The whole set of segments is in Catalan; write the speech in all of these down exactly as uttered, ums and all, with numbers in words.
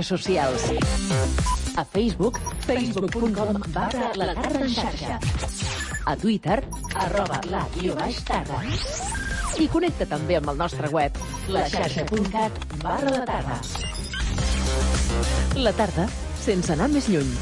Socials. A Facebook, facebook punt com barra la tarda en xarxa. A Twitter, arroba la guió baix tarda. I connecta també amb el nostre web, la xarxa punt cat barra la tarda. La tarda, sense anar més lluny.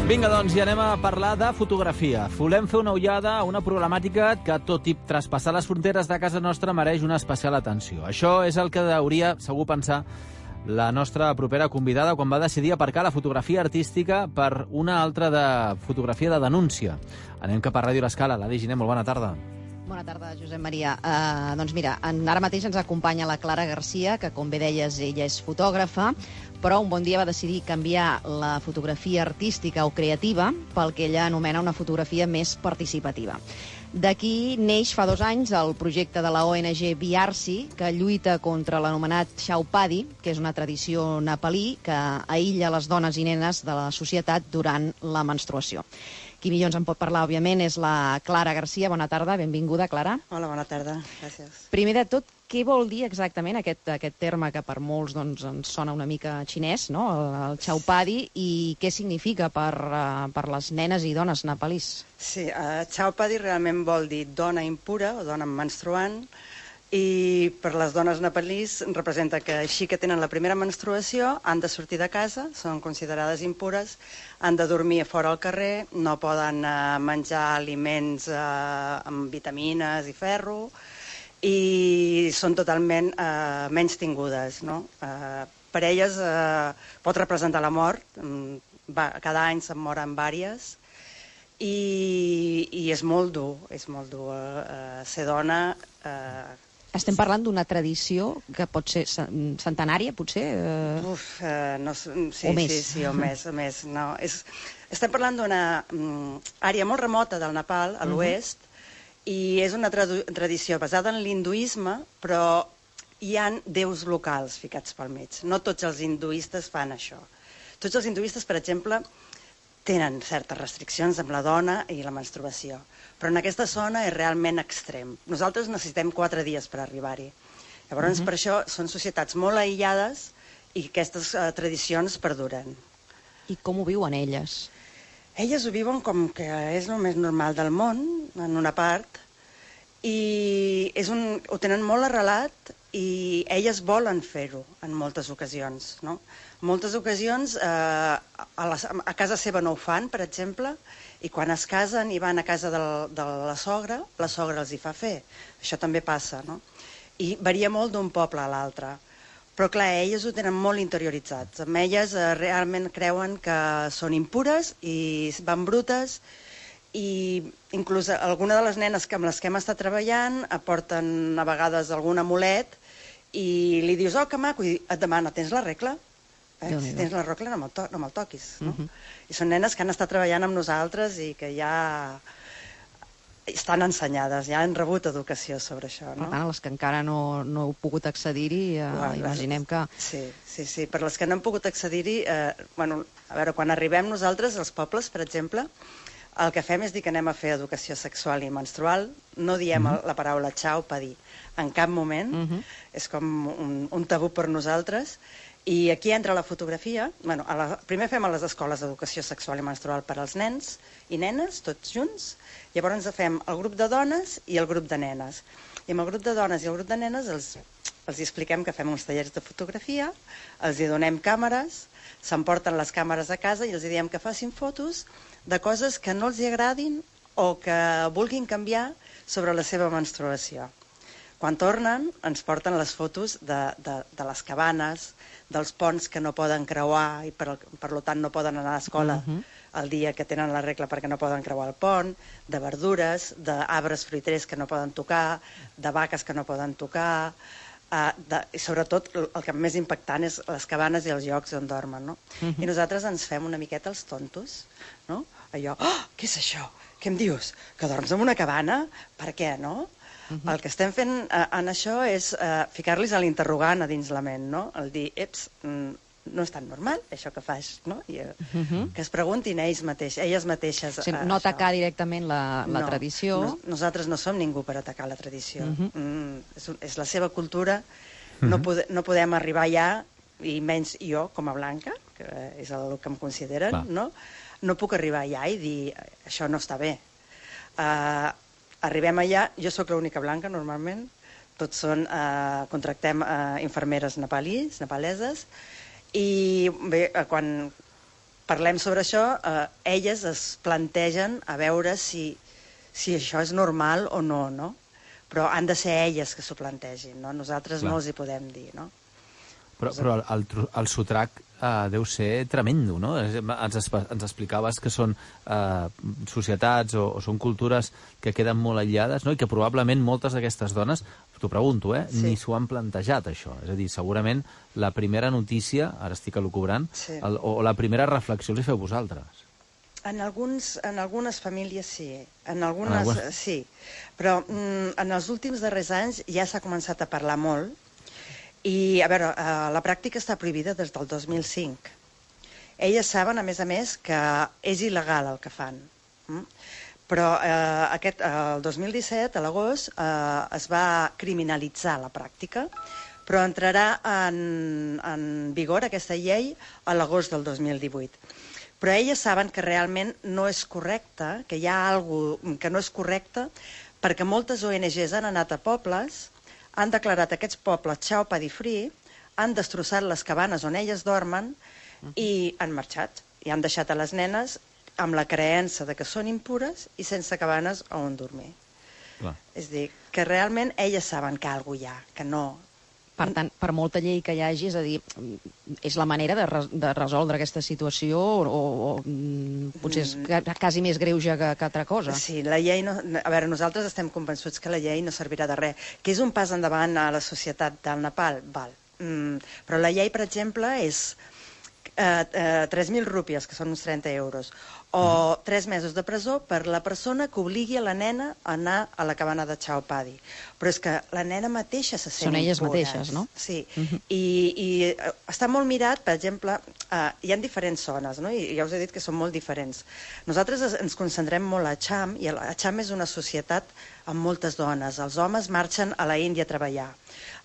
Vinga, doncs, i anem a parlar de fotografia. Volem fer una ullada a una problemàtica que, tot i traspassar les fronteres de casa nostra, mereix una especial atenció. Això és el que hauria, segur, pensar la nostra propera convidada quan va decidir aparcar la fotografia artística per una altra de fotografia de denúncia. Anem cap a Ràdio L'Escala. Ladi Giner, molt bona tarda. Bona tarda, Josep Maria. Uh, doncs mira, en, ara mateix ens acompanya la Clara Garcia, que com bé deies, ella és fotògrafa, però un bon dia va decidir canviar la fotografia artística o creativa pel que ella anomena una fotografia més participativa. D'aquí neix fa dos anys el projecte de la O N G Biarsi, que lluita contra l'anomenat Chaupadi, que és una tradició nepalí que aïlla les dones i nenes de la societat durant la menstruació. Qui millor ens en pot parlar, òbviament, és la Clara Garcia. Bona tarda, benvinguda, Clara. Hola, bona tarda, gràcies. Primer de tot, què vol dir exactament aquest, aquest terme que per molts doncs, ens sona una mica xinès, no? el, el Chaupadi, i què significa per, uh, per les nenes i dones nepalís? Sí, uh, Chaupadi realment vol dir dona impura o dona menstruant, i per les dones nepalís representa que així que tenen la primera menstruació han de sortir de casa, són considerades impures, han de dormir fora al carrer, no poden uh, menjar aliments uh, amb vitamines i ferro, i són totalment uh, menys tingudes, no? Uh, per elles uh, pot representar la mort, va, cada any se'n moren vàries, i, i és molt dur, és molt dur uh, ser dona. Uh, Estem parlant d'una tradició que pot ser centenària, potser? Uh... Uf, uh, no, sí, o més. sí, sí, o més, o més. No, és, estem parlant d'una um, àrea molt remota del Nepal, a l'oest, uh-huh. i és una tra tradició basada en l'hinduisme, però hi ha déus locals ficats pel mig. No tots els hinduistes fan això. Tots els hinduistes, per exemple, tenen certes restriccions amb la dona i la menstruació, però en aquesta zona és realment extrem. Nosaltres necessitem quatre dies per arribar-hi. Llavors, uh-huh. per això, són societats molt aïllades i aquestes uh, tradicions perduren. I com ho viuen elles? Elles ho viuen com que és el més normal del món, en una part, i és un, ho tenen molt arrelat i elles volen fer-ho en moltes ocasions, no? En moltes ocasions eh, a, la, a casa seva no ho fan, per exemple, i quan es casen i van a casa de la, de la sogra, la sogra els hi fa fer. Això també passa, no? I varia molt d'un poble a l'altre. Però clar, elles ho tenen molt interioritzats. Amb elles eh, realment creuen que són impures i van brutes, i inclús alguna de les nenes que amb les que hem estat treballant aporten a vegades algun amulet i li dius, oh, que maco, i et demana, tens la regla? Eh? Si tens la regla no me'l to no me'l toquis, no? Uh-huh. I són nenes que han estat treballant amb nosaltres i que ja estan ensenyades, ja han rebut educació sobre això, no? Per tant, les que encara no, no heu pogut accedir-hi, eh, bueno, imaginem que... Sí, sí, sí, per les que no hem pogut accedir-hi, eh, bueno, a veure, quan arribem nosaltres als pobles, per exemple, el que fem és dir que anem a fer educació sexual i menstrual, no diem uh-huh. la paraula Chaupadi en cap moment, uh-huh. és com un, un tabú per nosaltres, i aquí entra la fotografia. Bueno, a la, primer fem a les escoles d'educació sexual i menstrual per als nens i nenes, tots junts, llavors fem el grup de dones i el grup de nenes. I amb el grup de dones i el grup de nenes els, els expliquem que fem uns tallers de fotografia, els hi donem càmeres, s'emporten les càmeres a casa i els diem que facin fotos de coses que no els hi agradin o que vulguin canviar sobre la seva menstruació. Quan tornen, ens porten les fotos de, de, de les cabanes, dels ponts que no poden creuar i per, per tant no poden anar a l'escola uh-huh. el dia que tenen la regla perquè no poden creuar el pont, de verdures, d'arbres fruiters que no poden tocar, de vaques que no poden tocar, uh, de, i sobretot el que més impactant és les cabanes i els llocs on dormen, no? Uh-huh. I nosaltres ens fem una miqueta els tontos, no? Allò, oh, què és això? Què em dius? Que dorms en una cabana? Per què, no? Uh-huh. El que estem fent uh, en això és uh, ficar-los a l'interrogant a dins la ment, no? El dir, eps, no és tan normal, això que fas, no? I, uh -huh. Que es preguntin ells mateix, elles mateixes. O sigui, no això. atacar directament la, la no, tradició. No, nosaltres no som ningú per atacar la tradició. Uh -huh. mm, és, és la seva cultura, uh -huh. no, pode, no podem arribar allà, i menys jo, com a blanca, que és el que em consideren, Clar. no? No puc arribar allà i dir, això no està bé. Uh, arribem allà, jo sóc l'única blanca, normalment, tots són, uh, contractem uh, infermeres nepalís, nepaleses, i bé, uh, quan parlem sobre això, uh, elles es plantegen a veure si, si això és normal o no, no? Però han de ser elles que s'ho plantegin, no? Nosaltres Clar. no els hi podem dir, no? Però, però el, el, el sotrac uh, deu ser tremendo, no? Ens, ens explicaves que són uh, societats o, o són cultures que queden molt aïllades, no? I que probablement moltes d'aquestes dones, t'ho pregunto, eh, Sí. ni s'ho han plantejat, això. És a dir, segurament la primera notícia, ara estic elucubrant, Sí. el, o la primera reflexió els hi feu vosaltres. En, alguns, en algunes famílies sí, en algunes, En algunes- sí, però mm, en els últims darrers anys ja s'ha començat a parlar molt i, a veure, eh, la pràctica està prohibida des del dos mil cinc. Elles saben, a més a més, que és il·legal el que fan. Mm? Però eh, aquest, eh, el dos mil disset, a l'agost, eh, es va criminalitzar la pràctica, però entrarà en, en vigor aquesta llei a l'agost del dos mil divuit. Però elles saben que realment no és correcte, que hi ha alguna cosa que no és correcte, perquè moltes O N Ges han anat a pobles, han declarat aquests pobles Chao Paddy Free, han destrossat les cabanes on elles dormen i han marxat. I han deixat a les nenes amb la creença de que són impures i sense cabanes on dormir. Clar. És a dir, que realment elles saben que alguna cosa hi ha, que no... Per tant, per molta llei que hi hagi, és a dir, és la manera de, res, de resoldre aquesta situació o, o mm, potser és ca- quasi més greuge que, que altra cosa. Sí, la llei no... A veure, nosaltres estem convençuts que la llei no servirà de res. Que és un pas endavant a la societat del Nepal, val. Mm, però la llei, per exemple, és eh, eh, tres mil rúpies, que són uns trenta euros, o tres mesos de presó per la persona que obligui a la nena a anar a la cabana de Chao Paddy. Però és que la nena mateixa se sent Són elles impures. mateixes, no? Sí, I, i eh, està molt mirat, per exemple, eh, hi ha diferents zones, no? I ja us he dit que són molt diferents. Nosaltres es- ens concentrem molt a Acham, i el- Acham és una societat amb moltes dones. Els homes marxen a la Índia a treballar.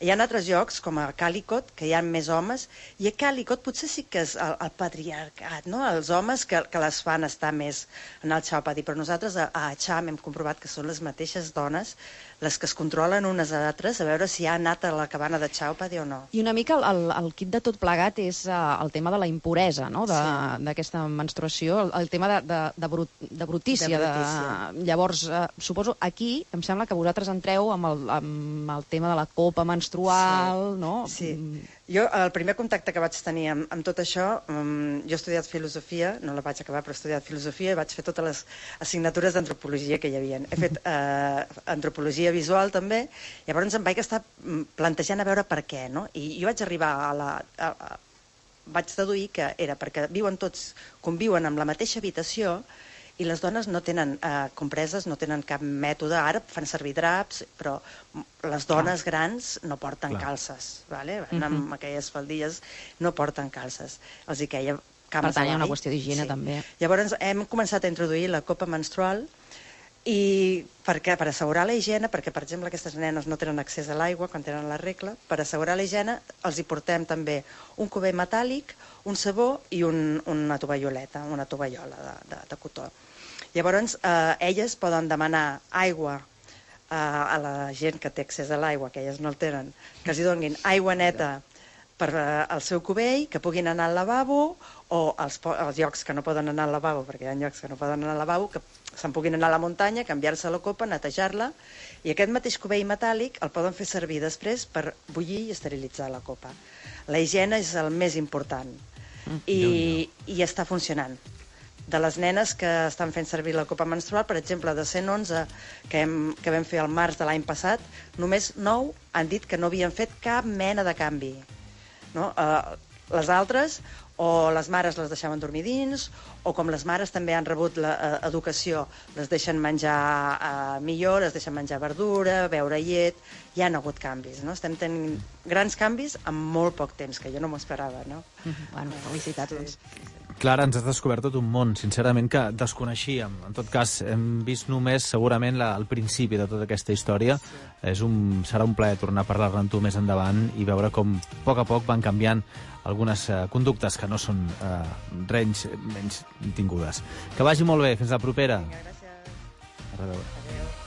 Hi ha altres llocs, com a Calicut, que hi ha més homes, i a Calicut potser sí que és el, el patriarcat, no? Els homes que, que les fan estar més en el Chao Paddy, però nosaltres a, a Acham hem comprovat que són les mateixes dones les que es controlen unes a altres a veure si ha anat a la cabana de Chao Paddy o no. I una mica el, el, el kit de tot plegat és uh, el tema de la impuresa, no?, d'aquesta sí. menstruació, el, el tema de, de, de, brut, de brutícia. De De brutícia. De, llavors, uh, suposo, aquí em sembla que vosaltres entreu amb el, amb el tema de la copa menstrual, Sí. no? Sí. Mm. Jo, el primer contacte que vaig tenir amb, amb tot això, um, jo he estudiat filosofia, no la vaig acabar, però he estudiat filosofia i vaig fer totes les assignatures d'antropologia que hi havia. He fet uh, antropologia visual també, llavors em vaig estar mm, plantejant a veure per què, no? I jo vaig arribar a la... A, a, vaig deduir que era perquè viuen tots, conviuen amb la mateixa habitació i les dones no tenen eh, compreses, no tenen cap mètode. Ara fan servir draps, però les dones grans no porten Clar. calces, vale? Van amb aquelles faldilles, no porten calces. Els hi queia cames Per tant, hi ha una avall. qüestió d'higiene, també. Llavors hem començat a introduir la copa menstrual i per, què? Per assegurar la higiene, perquè, per exemple, aquestes nenes no tenen accés a l'aigua quan tenen la regla, per assegurar la higiene els hi portem també un cubell metàl·lic, un sabó i un, una tovalloleta, una tovallola de, de, de cotó. Llavors, eh, elles poden demanar aigua eh, a la gent que té accés a l'aigua, que elles no el tenen, que els hi donin aigua neta per eh, al seu cubell, que puguin anar al lavabo, o als, als llocs que no poden anar al lavabo, perquè hi ha llocs que no poden anar al lavabo, que se'n puguin anar a la muntanya, canviar-se la copa, netejar-la, i aquest mateix cubell metàl·lic el poden fer servir després per bullir i esterilitzar la copa. La higiene és el més important, i, i està funcionant. De les nenes que estan fent servir la copa menstrual, per exemple, de cent onze que, hem, que vam fer al març de l'any passat, només nou han dit que no havien fet cap mena de canvi. No? Uh, les altres o les mares les deixaven dormir dins, o com les mares també han rebut l'educació, les deixen menjar eh, millor, les deixen menjar verdura, beure llet, hi ha hagut canvis, no? Estem tenint grans canvis en molt poc temps, que jo no m'ho esperava, no? Mm-hmm. Bueno, felicitats, doncs. Sí. Clara, ens has descobert tot un món, sincerament, que desconeixíem. En tot cas, hem vist només, segurament, la, el principi de tota aquesta història. Sí. És un, serà un plaer tornar a parlar-ne amb tu més endavant i veure com, a poc a poc, van canviant algunes uh, conductes que no són uh, renys menys tingudes. Que vagi molt bé. Fins la propera. Vinga, gràcies. A reveure. Adéu.